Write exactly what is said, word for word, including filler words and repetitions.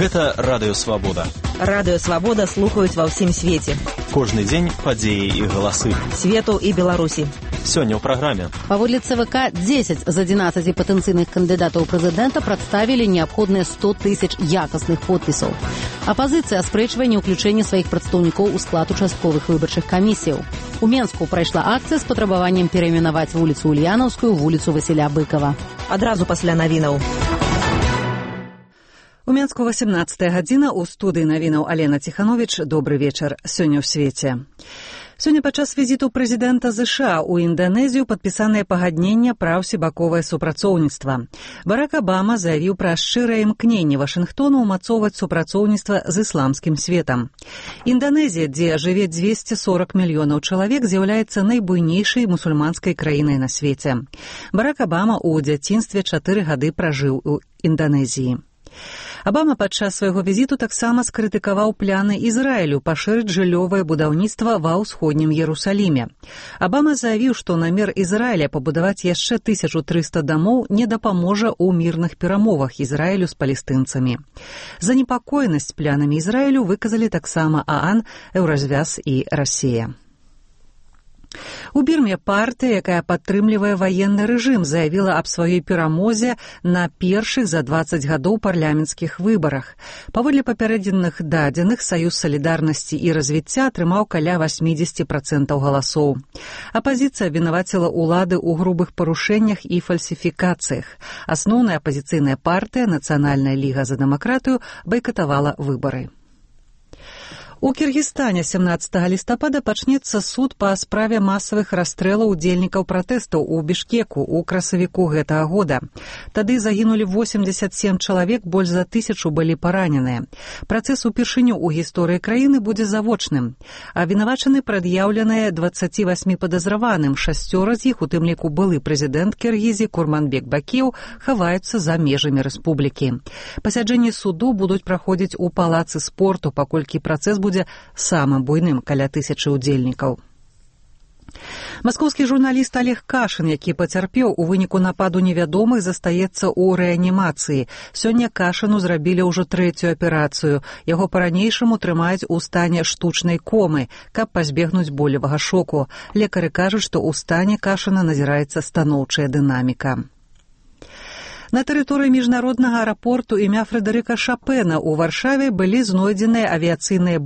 Гэта Радыё Свабода. Радыё Свабода слухаюць ва ўсім свеце. Кожны дзень падзеі і галасы. Свету і Беларусі. Сёння ў праграме. Паводле ЦВК, дзесяць з адзінаццаці патэнцыйных кандыдатаў прэзідэнта прадставілі неабходныя сто тысяч якасных подпісаў. Апазіцыя аспрэчвае неўключэнне сваіх прадстаўнікоў у склад участковых выбарчых камісіяў. У Менску прайшла акцыя з патрабаваннем перайменаваць вуліцу Ульянаўскую вуліцу Васіля Быкава. Адразу пасля навінаў. У Менску васямнаццатая гадзіна, у студыі навінаў Алена Ціхановіч. Добры вечар. Сёння ў свеце. Сёння падчас візіту прэзідэнта ЗША ў Інданезію падпісанае пагадненне пра ўсебаковае супрацоўніцтва. Барак Абама заявіў пра шчырае імкненне Вашынгтону ўмацоўваць супрацоўніцтва з ісламскім светам. Інданезія, дзе жыве дзвесце сорак мільёнаў чалавек, з'яўляецца найбуйнейшай мусульманскай краінай на свеце. Барак Абама ў дзяцінстве чатыры гады пражыў у Інданезіі. Абама падчас свайго візіту таксама скрытыкаваў пляны Ізраілю пашырыць жыллёвае будаўніцтва ва ўсходнім Ерусаліме. Абама заявіў, што намер Ізраіля пабудаваць яшчэ тысячу трыста дамоў не дапаможа ў мірных перамовах Ізраілю з палестынцамі. Занепакоенасць плянамі Ізраілю выказалі таксама ААН, Еўразвяз і Расія. У Бірме партыя, якая падтрымлівае ваенны рэжым, заявіла аб сваёй перамозе на першых за дваццаць гадоў парламенцкіх выбарах. Паводле папярэдзенных дадзеных, Саюз салідарнасці і развіцця атрымаў каля васьмідзесяць працэнтаў галасоў. Апазіцыя абвінаваціла ўлады ў грубых парушэннях і фальсіфікацыях. Асноўная апазіцыйная партыя, Нацыянальная ліга за дэмакратыю, байкатавала выбары. У Кіргізстане сямнаццатага лістапада пачнецца суд па справе масавых расстрэлаў удзельнікаў пратэстаў у Бішкеку ў красавіку гэтага года. Тады загінулі восемьдесят семь чалавек, больш за тысячу былі параненыя. Працэс упершыню ў гісторыі краіны будзе завочным. Абвінавачаны прад'яўленыя дваццаці васьмі падазраваным, шасцёра з іх, у тым ліку былы прэзідэнт Кіргізіі Курманбек Бакіеў, хаваюцца за межамі рэспублікі. Пасяджэнні суду будуць праходзіць у палацы спорту, паколькі працэс будзе самым буйным, каля тысячы удзельнікаў. Маскоўскі журналіст Олег Кашын, які пацярпеў у выніку нападу невядомых, застаецца ў рэанімацыі. Сёння Кашыну зрабілі ўжо трэцюю аперацыю. Яго па-ранейшаму трымаюць у стане штучнай комы, каб пазбегнуць болевага шоку. Лекары кажуць, што ў стане Кашына назіраецца станоўчая дынаміка. На тэрыторыі міжнароднага аэрапорту імя Фрэдэрыка Шапена ў Варшаве былі знойдзеныя авіяцыйныя